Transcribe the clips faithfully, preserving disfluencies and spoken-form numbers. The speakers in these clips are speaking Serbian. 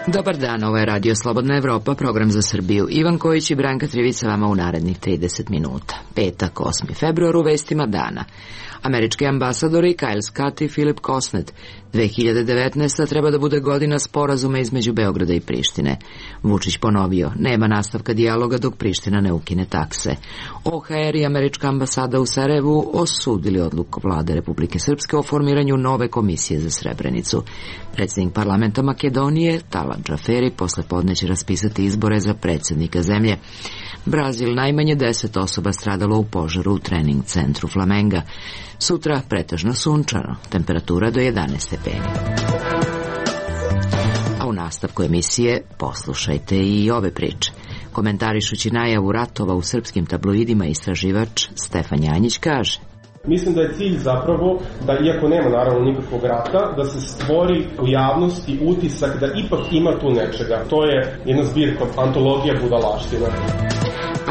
Dobar dan, ovo je Radio Slobodna Evropa, program za Srbiju. Ivan Kojić i Branka Trivica vama u narednih trideset minuta. Petak, osmi februar, u vestima dana. Američki ambasadori Kyle Scott i Philip Kosnet. dve hiljade devetnaesta. treba da bude godina sporazuma između Beograda i Prištine. Vučić ponovio, nema nastavka dijaloga dok Priština ne ukine takse. O H R i američka ambasada u Sarajevu osudili odluku vlade Republike Srpske o formiranju nove komisije za Srebrenicu. Predsjednik parlamenta Makedonije, Talat Džaferi, posle podne će raspisati izbore za predsjednika zemlje. Brazil, najmanje deset osoba stradalo u požaru u trening centru Flamenga. Sutra pretežno sunčano, temperatura do jedanaest stepeni. A u nastavku emisije poslušajte i ove priče. Komentarišući najavu ratova u srpskim tabloidima, istraživač Stefan Janjić kaže: Mislim da je cilj zapravo da, iako nema naravno nikakvog rata, da se stvori u javnosti utisak da ipak ima tu nečega. To je jedna zbirka, antologija budalaština.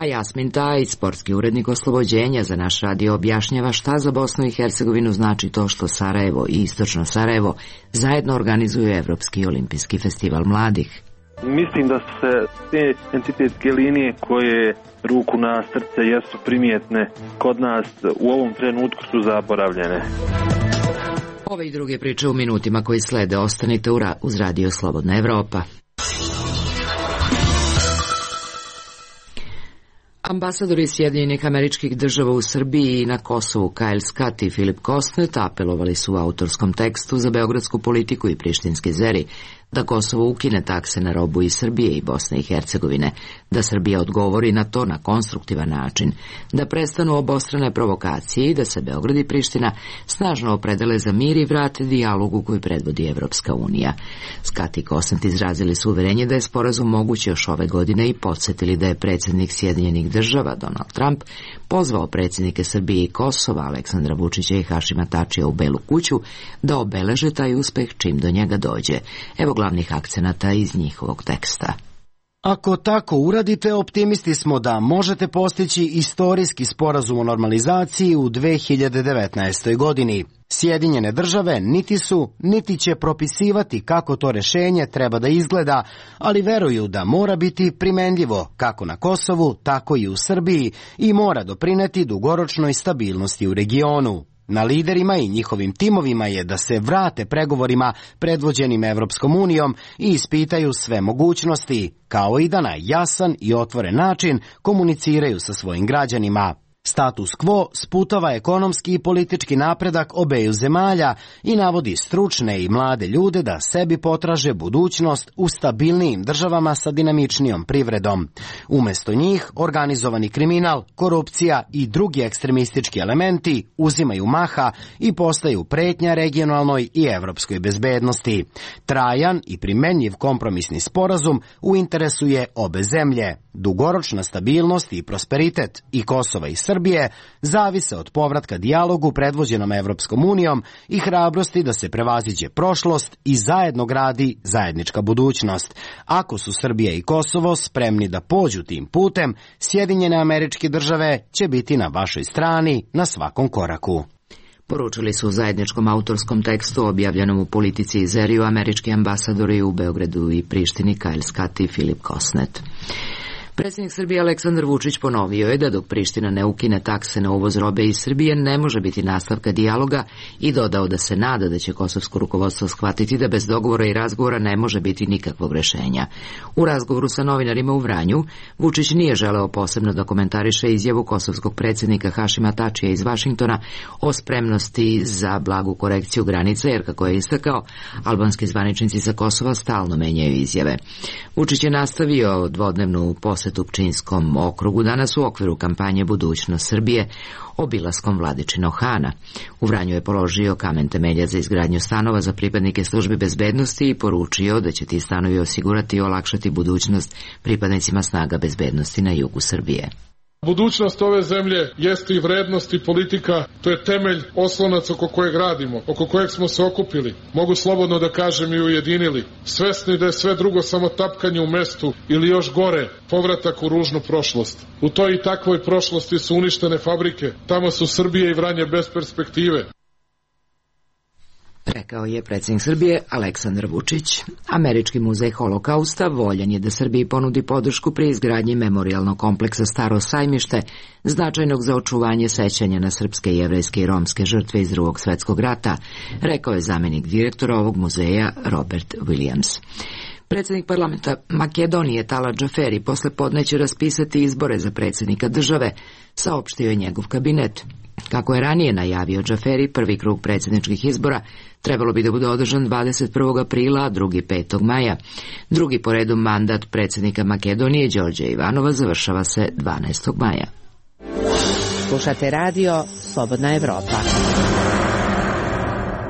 A Jasmin Tajić, sportski urednik Oslobođenja, za naš radio objašnjava šta za Bosnu i Hercegovinu znači to što Sarajevo i Istočno Sarajevo zajedno organizuju Evropski olimpijski festival mladih. Mislim da su se te entitetske linije koje ruku na srce jesu primjetne kod nas u ovom trenutku su zaboravljene. Ove i druge priče u minutima koji slede ostanite uz Radio Slobodna Evropa. Ambasadori Sjedinjenih Američkih Država u Srbiji i na Kosovu Kyle Scott i Philip Kosnet apelovali su u autorskom tekstu za beogradsku politiku i prištinski zeri da Kosovo ukine takse na robu iz Srbije i Bosne i Hercegovine, da Srbija odgovori na to na konstruktivan način, da prestanu obostrane provokacije i da se Beograd i Priština snažno opredele za mir i vrate dijalogu koji predvodi Evropska unija. Scott i Kosnet izrazili su uverenje da je sporazum moguć još ove godine i podsjetili da je predsjednik Sjedinjenih Država Donald Trump pozvao predsjednike Srbije i Kosova Aleksandra Vučića i Hašima Tačija u Belu kuću da obeleže taj uspeh čim do njega dođe. Evo glavnih akcenata iz njihovog teksta. Ako tako uradite, optimisti smo da možete postići istorijski sporazum o normalizaciji u dve hiljade devetnaestoj. godini. Sjedinjene države niti su, niti će propisivati kako to rešenje treba da izgleda, ali veruju da mora biti primenljivo kako na Kosovu, tako i u Srbiji i mora doprineti dugoročnoj stabilnosti u regionu. Na liderima i njihovim timovima je da se vrate pregovorima predvođenim Evropskom unijom i ispitaju sve mogućnosti, kao i da na jasan i otvoren način komuniciraju sa svojim građanima. Status quo sputava ekonomski i politički napredak obeju zemalja i navodi stručne i mlade ljude da sebi potraže budućnost u stabilnijim državama sa dinamičnijom privredom. Umesto njih, organizovani kriminal, korupcija i drugi ekstremistički elementi uzimaju maha i postaju pretnja regionalnoj i evropskoj bezbednosti. Trajan i primenjiv kompromisni sporazum u interesu je obe zemlje. Dugoročna stabilnost i prosperitet i Kosova i Srbije zavise od povratka dijalogu predvođenom Evropskom unijom i hrabrosti da se prevaziđe prošlost i zajedno gradi zajednička budućnost. Ako su Srbija i Kosovo spremni da pođu tim putem, Sjedinjene Američke Države će biti na vašoj strani na svakom koraku. Poručili su u zajedničkom autorskom tekstu objavljenom u Politici i Zeriju američki ambasadori u Beogradu i Prištini Kyle Scott i Philip Kosnet. Predsjednik Srbije Aleksandar Vučić ponovio je da dok Priština ne ukine takse na uvoz robe iz Srbije ne može biti nastavka dijaloga i dodao da se nada da će kosovsko rukovodstvo shvatiti da bez dogovora i razgovora ne može biti nikakvog rešenja. U razgovoru sa novinarima u Vranju, Vučić nije želeo posebno da komentariše izjavu kosovskog predsjednika Hašima Tačija iz Vašingtona o spremnosti za blagu korekciju granica, jer kako je istakao, albanski zvaničnici sa Kosova stalno menjaju izjave. Vučić je nastavio dvodnevnu posjetu u Pčinjskom okrugu danas u okviru kampanje Budućnost Srbije obilaskom Vladičinog Hana. U Vranju je položio kamen temelja za izgradnju stanova za pripadnike službi bezbednosti i poručio da će ti stanovi osigurati i olakšati budućnost pripadnicima snaga bezbednosti na jugu Srbije. Budućnost ove zemlje jeste i vrednost i politika, to je temelj, oslonac oko kojeg radimo, oko kojeg smo se okupili, mogu slobodno da kažem i ujedinili, svesni da je sve drugo samo tapkanje u mestu ili još gore, povratak u ružnu prošlost. U toj i takvoj prošlosti su uništene fabrike, tamo su Srbije i Vranje bez perspektive. Rekao je predsjednik Srbije Aleksandar Vučić. Američki muzej Holokausta voljan je da Srbiji ponudi podršku pri izgradnji memorijalnog kompleksa Staro sajmište, značajnog za očuvanje sećanja na srpske, jevrejske i romske žrtve iz Drugog svjetskog rata, rekao je zamjenik direktora ovog muzeja Robert Williams. Predsjednik parlamenta Makedonije Tala Džaferi posle podne će raspisati izbore za predsjednika države, saopštio je njegov kabinet. Kako je ranije najavio Džaferi, prvi krug predsjedničkih izbora trebalo bi da bude održan dvadeset prvog aprila, a drugi petog maja. Drugi po redu mandat predsjednika Makedonije Đorđa Ivanova završava se dvanaestog maja. Slušate radio Slobodna Evropa.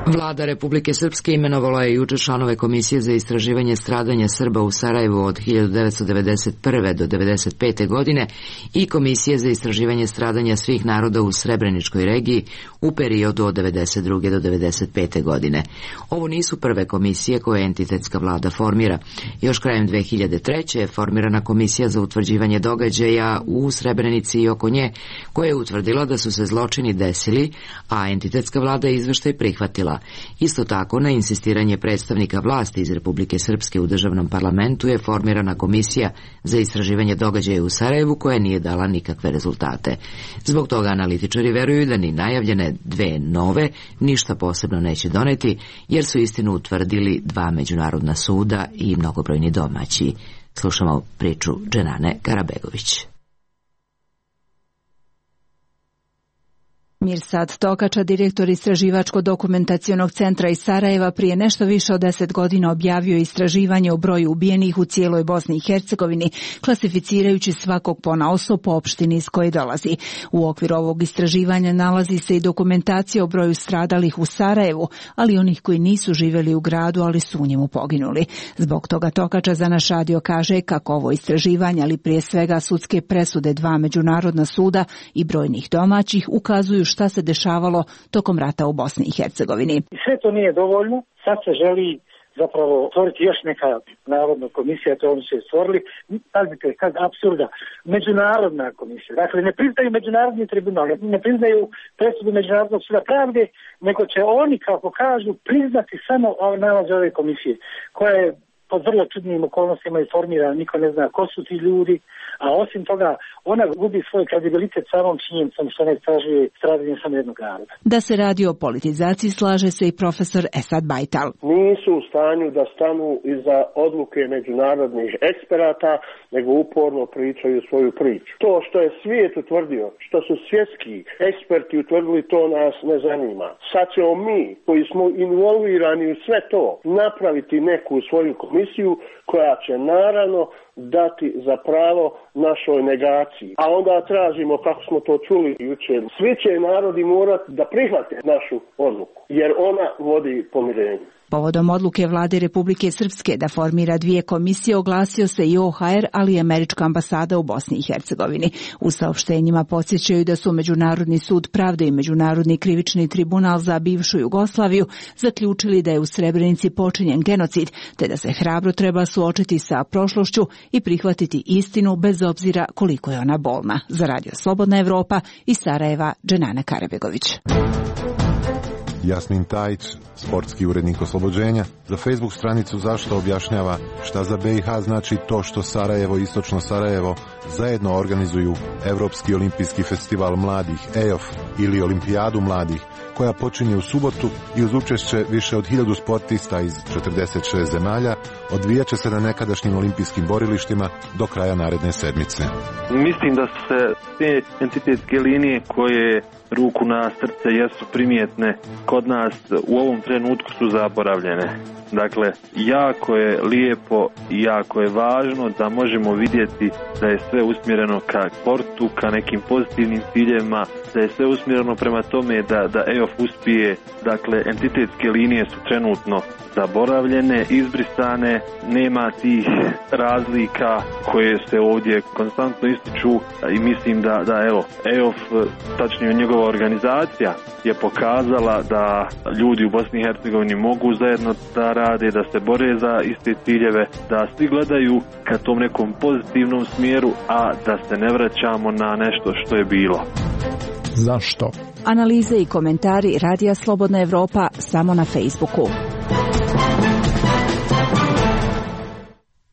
Vlada Republike Srpske imenovala je juče članove Komisije za istraživanje stradanja Srba u Sarajevu od hiljadu devetsto devedeset prve do devedeset pete godine i Komisije za istraživanje stradanja svih naroda u Srebreničkoj regiji u periodu od devedeset druge do devedeset pete godine. Ovo nisu prve komisije koje entitetska vlada formira. Još krajem dve hiljade treće. je formirana Komisija za utvrđivanje događaja u Srebrenici i oko nje, koja je utvrdila da su se zločini desili, a entitetska vlada je izveštaj prihvatila. Isto tako, na insistiranje predstavnika vlasti iz Republike Srpske u državnom parlamentu je formirana Komisija za istraživanje događaja u Sarajevu koja nije dala nikakve rezultate. Zbog toga analitičari veruju da ni najavljene dve nove ništa posebno neće doneti, jer su istinu utvrdili dva međunarodna suda i mnogobrojni domaći. Slušamo priču Dženane Karabegović. Mirsad Tokača, direktor Istraživačko-dokumentacionog centra iz Sarajeva, prije nešto više od deset godina objavio istraživanje o broju ubijenih u cijeloj Bosni i Hercegovini, klasificirajući svakog ponaosob po opštini iz koje dolazi. U okviru ovog istraživanja nalazi se i dokumentacija o broju stradalih u Sarajevu, ali onih koji nisu živjeli u gradu, ali su u njemu poginuli. Zbog toga Tokača za naš radio kaže kako ovo istraživanje, ali prije svega sudske presude dva međunarodna suda i brojnih domaćih, ukazuju šta se dešavalo tokom rata u Bosni i Hercegovini. Sve to nije dovoljno, sad se želi zapravo stvoriti još neka narodna komisija, to oni su je stvorili, pazite, kad apsurda, međunarodna komisija, dakle ne priznaju međunarodni tribunal, ne priznaju presudu Međunarodnog suda pravde, nego će oni, kako kažu, priznati samo nalaze ove komisije, koja je pod vrlo čudnim okolnostima i formirana, niko ne zna ko su ti ljudi, a osim toga ona gubi svoj kredibilitet samom činjenicom što ne istražuje stradanje samo jednog naroda. Da se radi o politizaciji slaže se i profesor Esad Bajtal. Nisu u stanju da stanu iza odluke međunarodnih eksperata, nego uporno pričaju svoju priču. To što je svijet utvrdio, što su svjetski eksperti utvrdili, to nas ne zanima. Sad ćemo mi, koji smo involvirani u sve to, napraviti neku svoju komisiju koja će naravno dati za pravo našoj negaciji. A onda tražimo, kako smo to čuli jučer, svi će narodi morati da prihvate našu odluku, jer ona vodi pomirenju. Povodom odluke vlade Republike Srpske da formira dvije komisije oglasio se i O H R, ali i Američka ambasada u Bosni i Hercegovini. U saopštenjima podsjećaju da su Međunarodni sud pravde i Međunarodni krivični tribunal za bivšu Jugoslaviju zaključili da je u Srebrenici počinjen genocid, te da se hrabro treba suočiti sa prošlošću i prihvatiti istinu bez obzira koliko je ona bolna. Za Radio Slobodna Evropa iz Sarajeva, Dženana Karabegović. Jasmin Tajić, sportski urednik Oslobođenja, za Facebook stranicu Zašto objašnjava šta za B i H znači to što Sarajevo i Istočno Sarajevo zajedno organizuju Evropski olimpijski festival mladih E O F ili Olimpijadu mladih, koja počinje u subotu i uz učešće više od hiljadu sportista iz četrdeset šest zemalja odvijat će se na nekadašnjim olimpijskim borilištima do kraja naredne sedmice. Mislim da se te entitetske linije koje ruku na srce jesu primjetne kod nas u ovom trenutku su zaboravljene. Dakle, jako je lijepo i jako je važno da možemo vidjeti da je sve usmjereno ka sportu, ka nekim pozitivnim ciljevima, da je sve usmjereno prema tome da, da E O F uspije. Dakle, entitetske linije su trenutno zaboravljene, izbrisane, nema tih razlika koje se ovdje konstantno ističu i mislim da, da evo, E O F, tačnije njegova organizacija, je pokazala da ljudi u Bosni i Hercegovini mogu zajedno da rade, da se bore za iste ciljeve, da svi gledaju ka tom nekom pozitivnom smjeru, a da se ne vraćamo na nešto što je bilo. Zašto? Analize i komentari Radija Slobodna Evropa samo na Facebooku.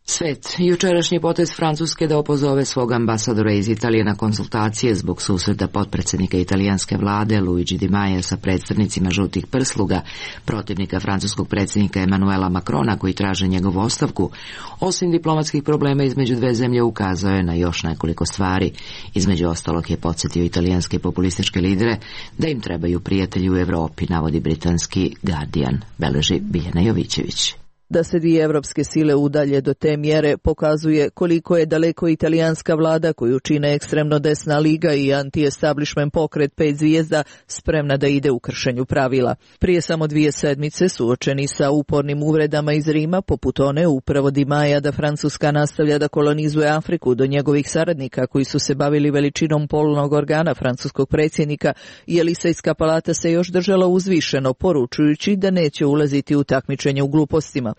Svet. Jučerašnji potez Francuske da opozove svog ambasadora iz Italije na konsultacije zbog susreta potpredsjednika italijanske vlade Luigi Di Maia sa predstavnicima žutih prsluga, protivnika francuskog predsjednika Emanuela Macrona koji traže njegovu ostavku, osim diplomatskih problema između dve zemlje ukazao je na još nekoliko stvari. Između ostalog je podsjetio italijanske populističke lidere da im trebaju prijatelji u Evropi, navodi britanski Guardian, beleži Biljana Jovićević. Da se dvije evropske sile udalje do te mjere pokazuje koliko je daleko italijanska vlada koju čine ekstremno desna liga i anti-establishment pokret pet zvijezda spremna da ide u kršenju pravila. Prije samo dvije sedmice suočeni sa upornim uvredama iz Rima, poput one upravo Di Maia da Francuska nastavlja da kolonizuje Afriku do njegovih saradnika koji su se bavili veličinom polnog organa francuskog predsjednika, i Elisejska palata se još držala uzvišeno, poručujući da neće ulaziti u takmičenje u glupostima.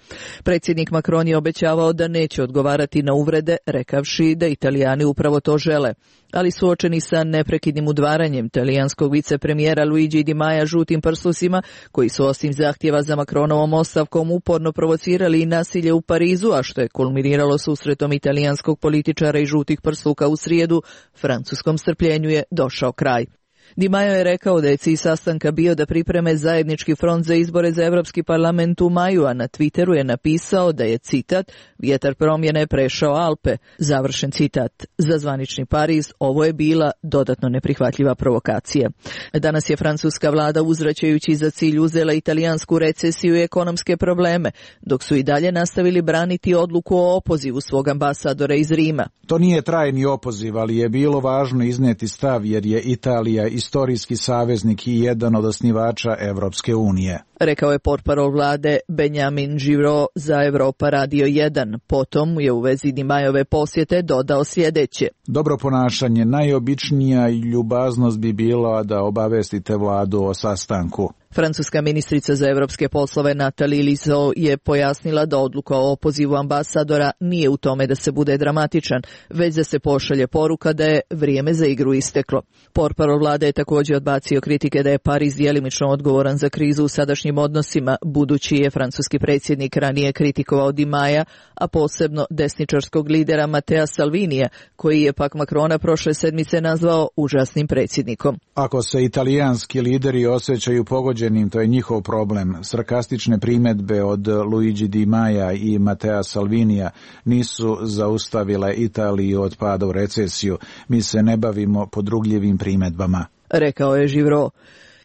Predsjednik Macron je obećavao da neće odgovarati na uvrede, rekavši da Italijani upravo to žele. Ali suočeni sa neprekidnim udvaranjem talijanskog vicepremijera Luigi Di Maia žutim prslusima, koji su osim zahtjeva za Macronovom ostavkom uporno provocirali i nasilje u Parizu, a što je kulminiralo susretom italijanskog političara i žutih prsluka u srijedu, francuskom strpljenju je došao kraj. Di Maio je rekao da je cilj sastanka bio da pripreme zajednički front za izbore za Europski parlament u maju, a na Twitteru je napisao da je, citat, vjetar promjene prešao Alpe, završen citat. Za zvanični Pariz ovo je bila dodatno neprihvatljiva provokacija. Danas je francuska vlada uzvraćajući za cilj uzela italijansku recesiju i ekonomske probleme, dok su i dalje nastavili braniti odluku o opozivu svog ambasadora iz Rima. To nije trajni opoziv, ali je bilo važno iznijeti stav jer je Italija istorijski saveznik i jedan od osnivača Evropske unije. Rekao je portparol vlade Benjamin Giraud za Europa Radio jedan. Potom je u vezi Di Maiove posjete dodao sljedeće. Dobro ponašanje, najobičnija ljubaznost bi bila da obavestite vladu o sastanku. Francuska ministrica za evropske poslove Nathalie Lizo je pojasnila da odluka o opozivu ambasadora nije u tome da se bude dramatičan, već da se pošalje poruka da je vrijeme za igru isteklo. Portparol vlade je također odbacio kritike da je Pariz djelimično odgovoran za krizu u sadašnjim odnosima, budući je francuski predsjednik ranije kritikovao Di Maia, a posebno desničarskog lidera Matteo Salvinija, koji je pak Macrona prošle sedmice nazvao užasnim predsjednikom. Ako se italijanski lideri osjećaju pogođenim, to je njihov problem. Sarkastične primjedbe od Luigi Di Maia i Matteo Salvinija nisu zaustavile Italiju od pada u recesiju. Mi se ne bavimo podrugljivim primjedbama, rekao je Giraud.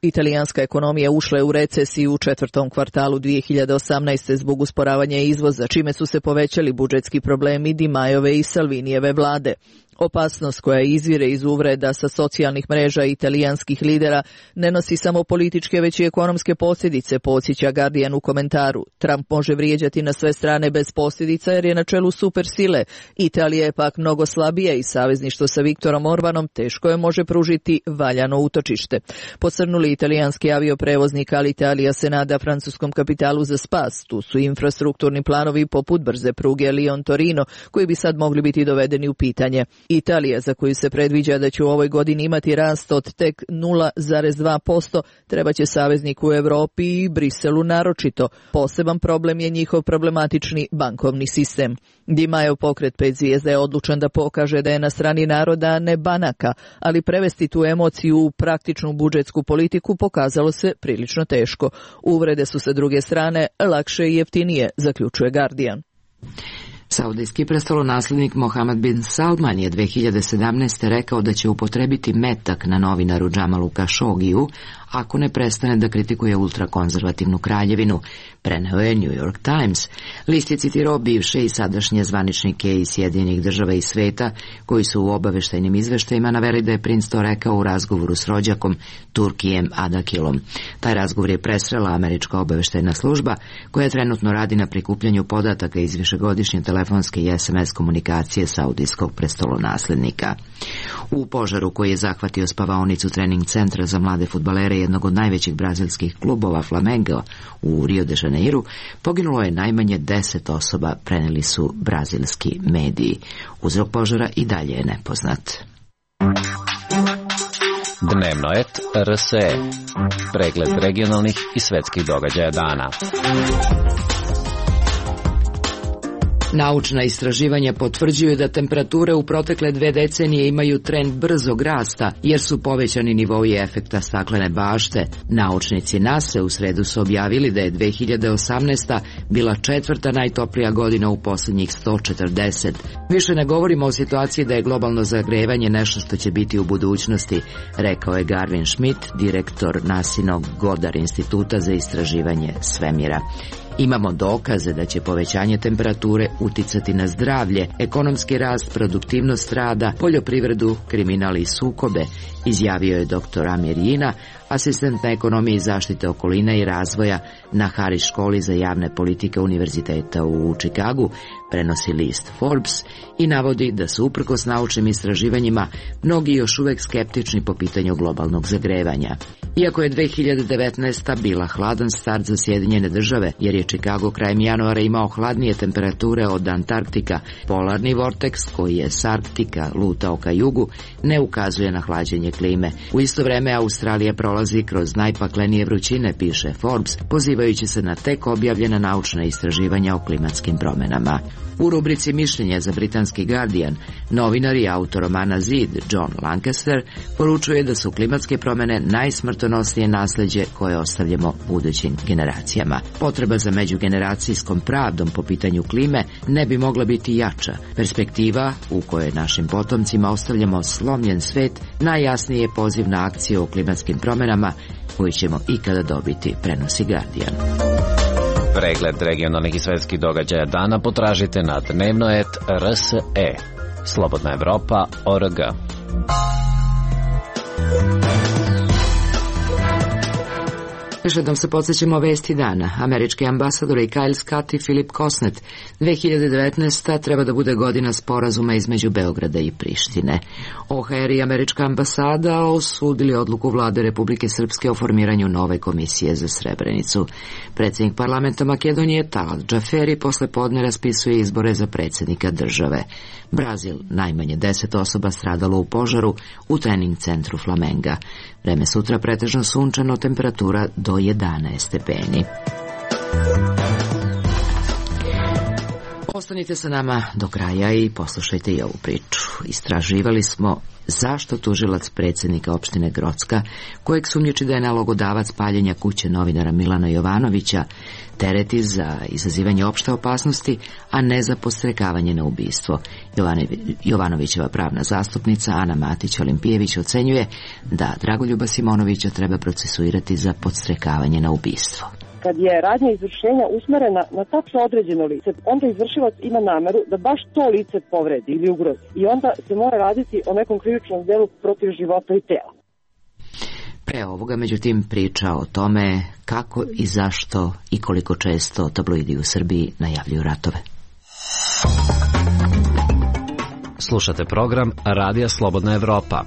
Italijanska ekonomija ušla je u recesiju u četvrtom kvartalu dvije hiljade osamnaeste. zbog usporavanja izvoza, čime su se povećali budžetski problemi Di Maiove i Salvinijeve vlade. Opasnost koja izvire iz uvreda sa socijalnih mreža italijanskih lidera ne nosi samo političke, već i ekonomske posljedice, podsjeća Guardian u komentaru. Trump može vrijeđati na sve strane bez posljedica jer je na čelu supersile. Italija je pak mnogo slabija i savezništvo sa Viktorom Orbanom teško je može pružiti valjano utočište. Posrnuli italijanski avioprevoznik Alitalia se nada francuskom kapitalu za spas. Tu su infrastrukturni planovi poput brze pruge Lyon-Torino, koji bi sad mogli biti dovedeni u pitanje. Italija, za koju se predviđa da će u ovoj godini imati rast od tek nula zarez dva posto, treba će savezniku u Europi i Briselu naročito. Poseban problem je njihov problematični bankovni sistem. Di Maio pokret pet zvijezda je odlučan da pokaže da je na strani naroda, a ne banaka, ali prevesti tu emociju u praktičnu budžetsku politiku pokazalo se prilično teško. Uvrede su sa druge strane lakše i jeftinije, zaključuje Guardian. Saudijski prestolonaslednik Mohammed bin Salman je dve hiljade sedamnaeste. rekao da će upotrebiti metak na novinaru Džamalu Kašogiju ako ne prestane da kritikuje ultrakonzervativnu kraljevinu, preneo je New York Times. List je citirao bivše i sadašnje zvaničnike iz Sjedinjenih država i sveta, koji su u obaveštajnim izveštajima naveli da je princ to rekao u razgovoru s rođakom Turkijem Adakilom. Taj razgovor je presrela američka obaveštajna služba, koja trenutno radi na prikupljanju podataka iz višegodišnje telefonske i es em es komunikacije saudijskog prestolonaslednika. U požaru koji je zahvatio spavaonicu trening centra za mlade fudbalere jednog od najvećih brazilskih klubova Flamengo u Rio de Janeiru poginulo je najmanje deset osoba, preneli su brazilski mediji. Uzrok požara i dalje je nepoznat. Dnevnoet R S E. Pregled regionalnih i svetskih događaja dana. Naučna istraživanja potvrđuju da temperature u protekle dve decenije imaju trend brzog rasta, jer su povećani nivoi efekta staklene bašte. Naučnici NASA u sredu su objavili da je dve hiljade osamnaesta. bila četvrta najtoplija godina u posljednjih sto četrdeset. Više ne govorimo o situaciji da je globalno zagrevanje nešto što će biti u budućnosti, rekao je Garvin Schmidt, direktor NASinog Goddard instituta za istraživanje svemira. Imamo dokaze da će povećanje temperature uticati na zdravlje, ekonomski rast, produktivnost rada, poljoprivredu, kriminal i sukobe, izjavio je doktor Amir Jina, asistent na ekonomiji zaštite okoline i razvoja na Harris školi za javne politike Univerziteta u Čikagu, prenosi list Forbes i navodi da su uprkos naučnim istraživanjima mnogi još uvek skeptični po pitanju globalnog zagrevanja. Iako je dve hiljade devetnaesta. bila hladan start za Sjedinjene države, jer je Čikago krajem januara imao hladnije temperature od Antarktika, polarni vorteks koji je s Arktika lutao ka jugu ne ukazuje na hlađenje klime. U isto vreme Australija prolazi kroz najpaklenije vrućine, piše Forbes, pozivajući se na tek objavljena naučna istraživanja o klimatskim promenama. U rubrici Mišljenja za britanski Guardian, novinar i autor romana Zid, John Lancaster, poručuje da su klimatske promene najsmrtonosnije nasleđe koje ostavljamo budućim generacijama. Potreba za međugeneracijskom pravdom po pitanju klime ne bi mogla biti jača. Perspektiva u kojoj našim potomcima ostavljamo slomljen svet najjasniji je poziv na akciju o klimatskim promenama koju ćemo ikada dobiti, prenosi Guardian. Pregled regionalnih i svetskih događaja dana potražite na Dnevnoet R S E. Slobodna Evropa O R G. Još jednom se podsjećamo vesti dana. Američki ambasadori Kyle Scott i Philip Kosnet. dve hiljade devetnaesta. treba da bude godina sporazuma između Beograda i Prištine. O H R i američka ambasada osudili odluku vlade Republike Srpske o formiranju nove komisije za Srebrenicu. Predsjednik parlamenta Makedonije Talat Džaferi posle podne raspisuje izbore za predsjednika države. Brazil, najmanje deset osoba stradalo u požaru u trening centru Flamenga. Vreme sutra pretežno sunčano, temperatura do jedanaest stepeni. Ostanite sa nama do kraja i poslušajte i ovu priču. Istraživali smo zašto tužilac predsjednika opštine Grocka, kojeg sumnjiči da je nalogodavac paljenja kuće novinara Milana Jovanovića, tereti za izazivanje opšte opasnosti, a ne za podstrekavanje na ubistvo. Jovanovićeva pravna zastupnica Ana Matić-Olimpijević ocenjuje da Dragoljuba Simonovića treba procesuirati za podstrekavanje na ubistvo. Kad je radnja izvršenja usmerena na tačno određeno lice, onda izvršilac ima nameru da baš to lice povredi ili ugrozi. I onda se mora raditi o nekom krivičnom delu protiv života i tela. Pre ovoga, međutim, priča o tome kako i zašto i koliko često tabloidi u Srbiji najavljuju ratove. Slušate program Radija Slobodna Evropa.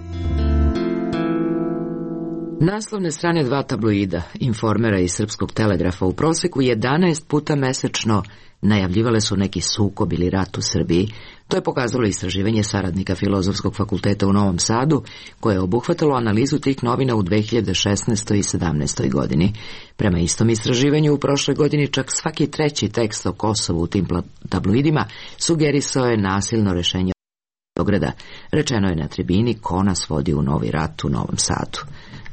Naslovne strane dva tabloida, Informera i Srpskog telegrafa, u proseku jedanaest puta mesečno najavljivale su neki sukob ili rat u Srbiji. To je pokazalo istraživanje saradnika Filozofskog fakulteta u Novom Sadu, koje je obuhvatalo analizu tih novina u dve hiljade šesnaestoj i sedamnaestoj. godini. Prema istom istraživanju u prošloj godini čak svaki treći tekst o Kosovu u tim tabloidima sugerisao je nasilno rešenje Beograda. Rečeno je na tribini ko nas vodi u novi rat u Novom Sadu.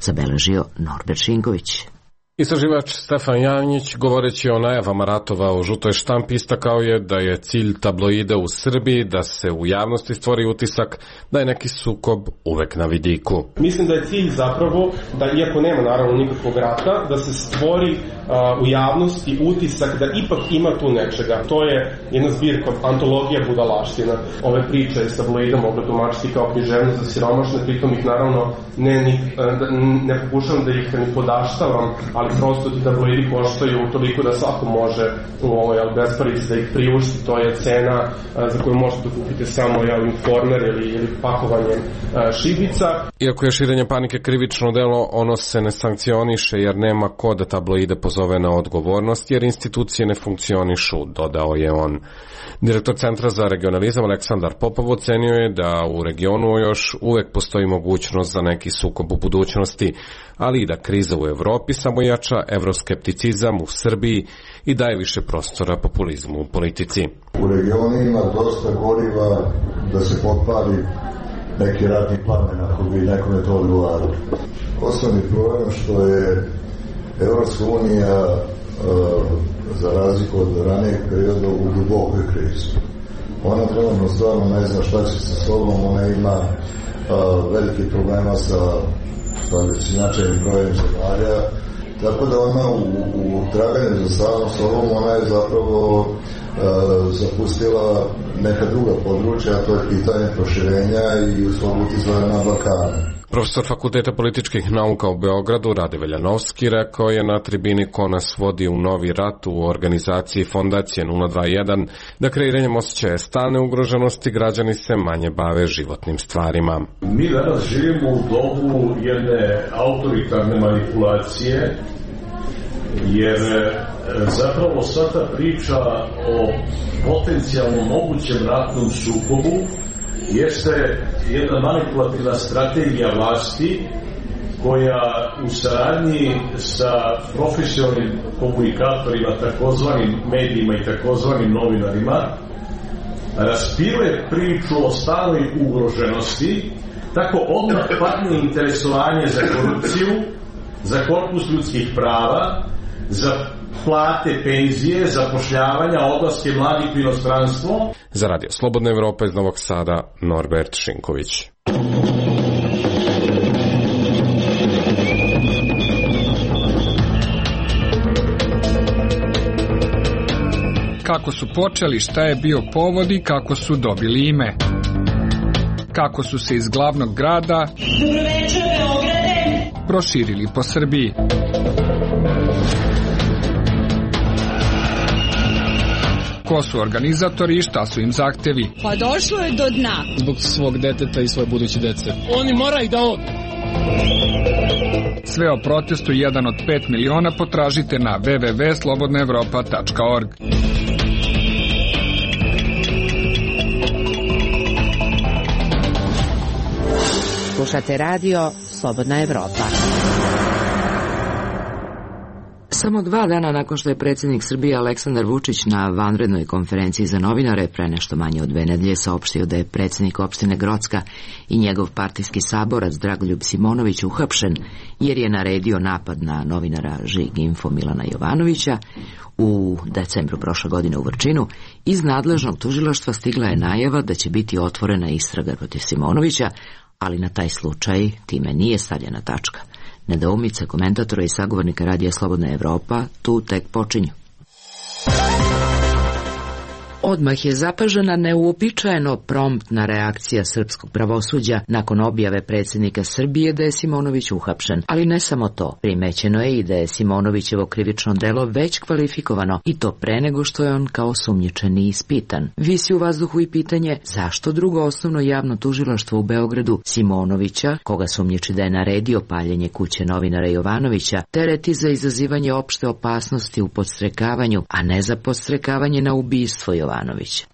Zabeležio Norbert Šinković. Istraživač Stefan Janjić, govoreći o najavama ratova u žutoj štampi, istakao je da je cilj tabloida u Srbiji da se u javnosti stvori utisak da je neki sukob uvek na vidiku. Mislim da je cilj zapravo da, iako nema naravno nikakvog rata, da se stvori uh, u javnosti utisak da ipak ima tu nečega. To je jedna zbirka, antologija budalaština. Ove priče s tabloidom mogu tumačiti kao književnost za siromašne, pritom ih naravno ne, ni, ne pokušavam da ih ni podaštavam, ali prosto ti tabloidi koštaju toliko da svako može ovaj, besparice da ih priušti, to je cena za koju možete kupiti samo jel, informer ili, ili pakovanjem šibica. Iako je širenje panike krivično delo, ono se ne sankcioniše jer nema ko da tabloide pozove na odgovornost, jer institucije ne funkcionišu, dodao je on. Direktor Centra za regionalizam Aleksandar Popov ocenio je da u regionu još uvek postoji mogućnost za neki sukob u budućnosti, ali i da kriza u Evropi samo jača evroskepticizam u Srbiji i daje više prostora populizmu u politici. U regionu ima dosta goriva da se potpali neki ratni plamen ako bi nekome to odgovaralo. Osnovni problem što je Evropska unija za razliku od ranijeg perioda u dubokoj krizi. Ona trenutno stvarno ne zna šta će sa sobom, ona ima uh, velike problema sa, sa već značajnim brojem zemalja, tako da ona u, u traganju za samom sobom, ona je zapravo uh, zapustila neka druga područja, a to je pitanje proširenja i svog uticaja na Balkanu. Profesor Fakulteta političkih nauka u Beogradu, Rade Veljanovski, rekao je na tribini ko nas vodi u novi rat u organizaciji Fondacije nula dva jedan da kreiranjem osjećaja stalne ugroženosti građani se manje bave životnim stvarima. Mi danas živimo u dobu jedne autoritarne manipulacije, jer zapravo sva ta priča o potencijalno mogućem ratnom sukobu jeste jedna manipulativna strategija vlasti koja u saradnji sa profesionalnim komunikatorima, takozvanim medijima i takozvanim novinarima raspiruje priču o stalnoj ugroženosti, tako odmah padne interesovanje za korupciju, za korpus ljudskih prava, za plate, penzije, zapošljavanja, odlaske mladih u inostranstvo. Za Radio Slobodna Evropa iz Novog Sada, Norbert Šinković. Kako su počeli, šta je bio povod i kako su dobili ime. Kako su se iz glavnog grada proširili po Srbiji. Ko su organizatori i šta su im zahtevi? Pa došlo je do dna. Zbog svog deteta i svoje buduće dece. Oni moraju da odu. Sve o protestu jedan od pet miliona potražite na w w w tačka slobodna evropa tačka org. Slušate radio Slobodna Evropa. Samo dva dana nakon što je predsjednik Srbije Aleksandar Vučić na vanrednoj konferenciji za novinare pre nešto manje od dve nedelje saopštio da je predsjednik opštine Grocka i njegov partijski saborac Dragoljub Simonović uhapšen jer je naredio napad na novinara Žig Info Milana Jovanovića, u decembru prošle godine u Vrčinu, iz nadležnog tužilaštva stigla je najava da će biti otvorena istraga protiv Simonovića, ali na taj slučaj time nije stavljena tačka. Nedoumice komentatora i sagovornika Radija Slobodna Evropa tu tek počinju. Odmah je zapažena neuobičajeno promptna reakcija srpskog pravosuđa nakon objave predsjednika Srbije da je Simonović uhapšen. Ali ne samo to. Primećeno je i da je Simonovićevo krivično delo već kvalifikovano i to pre nego što je on kao sumnjičeni ispitan. Visi u vazduhu i pitanje zašto drugo osnovno javno tužilaštvo u Beogradu Simonovića, koga sumnjiči da je naredio paljenje kuće novinara Jovanovića, tereti za izazivanje opšte opasnosti u podstrekavanju, a ne za podstrekavanje na ubistvo Jovanovića.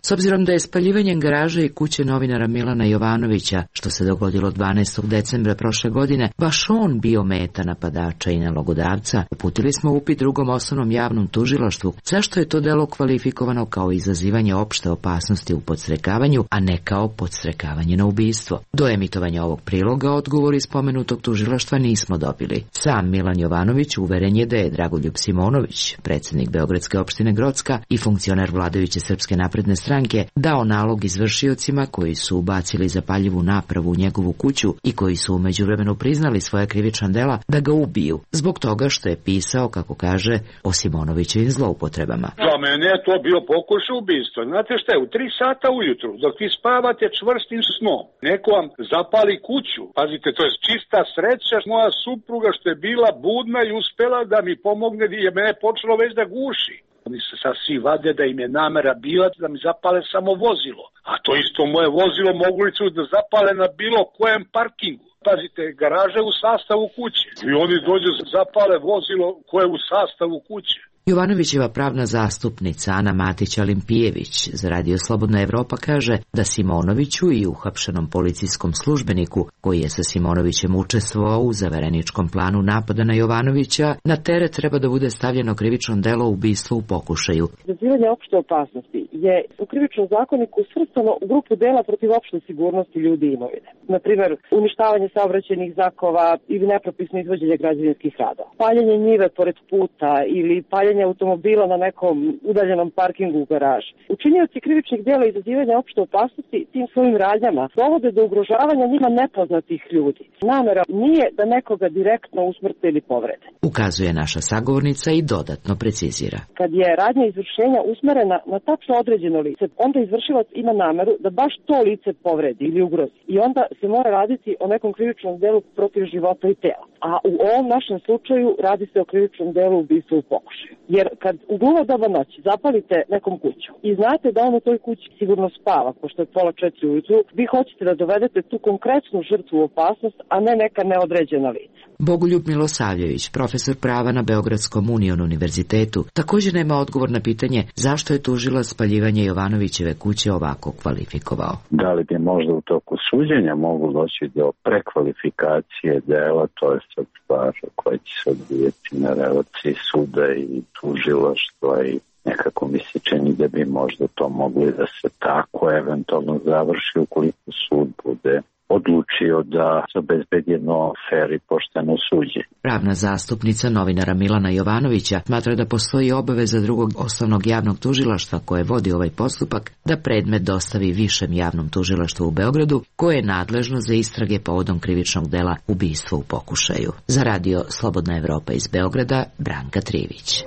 S obzirom da je spaljivanjem garaže i kuće novinara Milana Jovanovića, što se dogodilo dvanaestog decembra prošle godine, baš on bio meta napadača i nalogodavca, uputili smo upit drugom osnovnom javnom tužilaštvu zašto je to delo kvalifikovano kao izazivanje opšte opasnosti u podstrekavanju, a ne kao podstrekavanje na ubistvo. Do emitovanja ovog priloga odgovor iz spomenutog tužilaštva nismo dobili. Sam Milan Jovanović uveren je da je Dragoljub Simonović, predsjednik Beogradske opštine Grocka i funkcioner vladajuće Srpske Srpske napredne stranke dao nalog izvršiocima koji su ubacili zapaljivu napravu u njegovu kuću i koji su u međuvremenu priznali svoja krivična dela da ga ubiju, zbog toga što je pisao, kako kaže, o Simonovićevim zloupotrebama. Za mene je to bio pokušaj ubistva. Znate šta je, u tri sata ujutru, dok vi spavate čvrstim snom, neko vam zapali kuću. Pazite, to je čista sreća moja supruga što je bila budna i uspela da mi pomogne, jer mene je počelo već da guši. Oni se sad svi vade da im je namera bila da mi zapale samo vozilo. A to isto moje vozilo mogli su da zapale na bilo kojem parkingu. Pazite, garaža je u sastavu kuće. I oni dođu zapale vozilo koje je u sastavu kuće. Jovanovićeva pravna zastupnica Ana Matić-Alimpijević za Radio Slobodna Evropa kaže da Simonoviću i uhapšenom policijskom službeniku, koji je sa Simonovićem učestvovao u zavereničkom planu napada na Jovanovića, na teret treba da bude stavljeno krivično delo ubistva u pokušaju. Izazivanje opšte opasnosti je u krivičnom zakoniku svrstano u grupu dela protiv opšte sigurnosti ljudi i imovine. Na primjer, uništavanje saobraćajnih znakova ili nepropisno izvođenje građevinskih radova, paljenje njive pored puta ili paljenje automobila na nekom udaljenom parkingu u garaži. Učinioci krivičnih dela izazivanja opšte opasnosti tim svojim radnjama dovode do ugrožavanja njima nepoznatih ljudi. Namera nije da nekoga direktno usmrte ili povrede. Ukazuje naša sagovornica i dodatno precizira. Kad je radnja izvršenja usmerena na tačno određeno lice, onda izvršilac ima nameru da baš to lice povredi ili ugrozi. I onda se mora raditi o nekom krivičnom delu protiv života i tela. A u ovom našem slučaju radi se o krivičnom delu ubistva u pokušaju. Jer kad u gluvo doba noći zapalite nekom kuću i znate da on u toj kući sigurno spava, pošto je pola četiri ujutru, vi hoćete da dovedete tu konkretnu žrtvu u opasnost, a ne neka neodređena lica. Bogoljub Milosavljević, profesor prava na Beogradskom Union univerzitetu, također nema odgovor na pitanje zašto je tužilac spaljivanje Jovanovićeve kuće ovako kvalifikovao. Da li bi možda u toku suđenja moglo doći do prekvalifikacije dela, to je sad stvar koja će se odvijeti na relaciji suda i tužilaštva i nekako mi se čini da bi možda to mogli da se tako eventualno završi ukoliko sud bude odlučio da se obezbedi jedno fer i pošteno suđenje. Pravna zastupnica novinara Milana Jovanovića smatra da postoji obaveza drugog osnovnog javnog tužilaštva koje vodi ovaj postupak da predmet dostavi višem javnom tužilaštvu u Beogradu koje je nadležno za istrage povodom krivičnog dela ubistva u pokušaju. Za Radio Slobodna Evropa iz Beograda, Branka Trivić.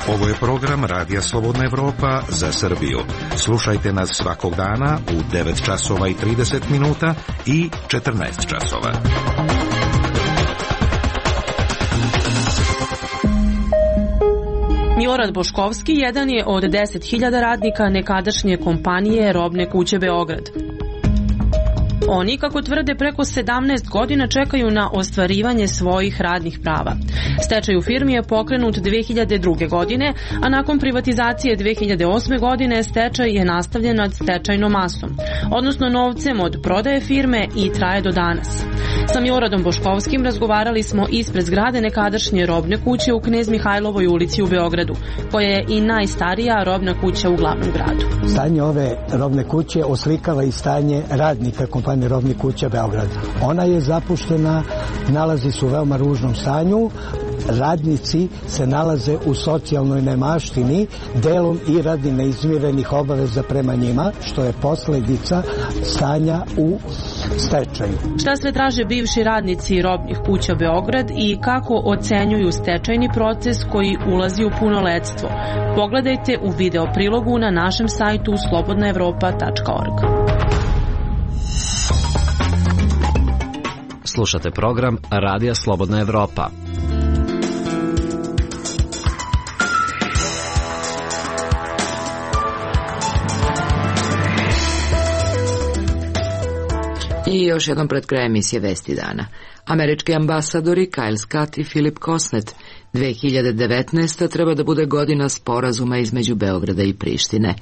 Ovo je program Radija Slobodna Evropa za Srbiju. Slušajte nas svakog dana u devet časova i trideset minuta i četrnaest časova. Milorad Boškovski jedan je od deset hiljada radnika nekadašnje kompanije Robne kuće Beograd. Oni, kako tvrde, preko sedamnaest godina čekaju na ostvarivanje svojih radnih prava. Stečaj u firmi je pokrenut dve hiljade druge. godine, a nakon privatizacije dve hiljade osme. godine stečaj je nastavljen nad stečajnom masom, odnosno novcem od prodaje firme i traje do danas. Sa Miloradom Boškovskim razgovarali smo ispred zgrade nekadašnje Robne kuće u Knez Mihajlovoj ulici u Beogradu, koja je i najstarija robna kuća u glavnom gradu. Stanje ove robne kuće oslikava i stanje radnika kompanije Robne kuće Beograd. Ona je zapuštena, nalazi se u veoma ružnom stanju, radnici se nalaze u socijalnoj nemaštini, delom i radi neizmirenih obaveza prema njima, što je posledica stanja u stečaju. Šta sve traže bivši radnici Robnih kuća Beograd i kako ocenjuju stečajni proces koji ulazi u punoletstvo? Pogledajte u video prilogu na našem sajtu slobodna evropa tačka org. Slušate program Radija Slobodna Evropa. I još jednom pred krajem emisije Vesti dana. Američki ambasadori Kyle Scott i Philip Kosnet. dve hiljade devetnaesta. treba da bude godina sporazuma između Beograda i Prištine.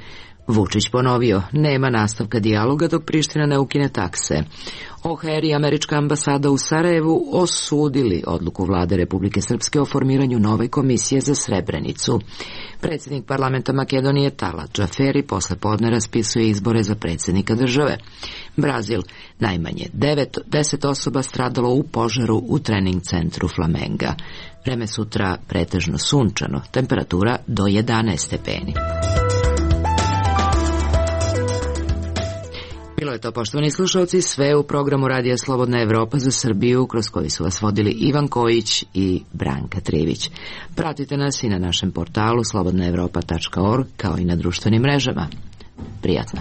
Vučić ponovio, nema nastavka dijaloga dok Priština ne ukine takse. O H R i američka ambasada u Sarajevu osudili odluku vlade Republike Srpske o formiranju nove komisije za Srebrenicu. Predsjednik parlamenta Makedonije Talat Džaferi posle podne raspisuje izbore za predsjednika države. Brazil, najmanje devet, deset osoba stradalo u požaru u trening centru Flamenga. Vreme sutra pretežno sunčano, temperatura do jedanaest stepeni. Bilo je to, poštovani slušalci, sve u programu Radija Slobodna Evropa za Srbiju, kroz koji su vas vodili Ivan Kojić i Branka Trivić. Pratite nas i na našem portalu slobodna evropa tačka org, kao i na društvenim mrežama. Prijatno.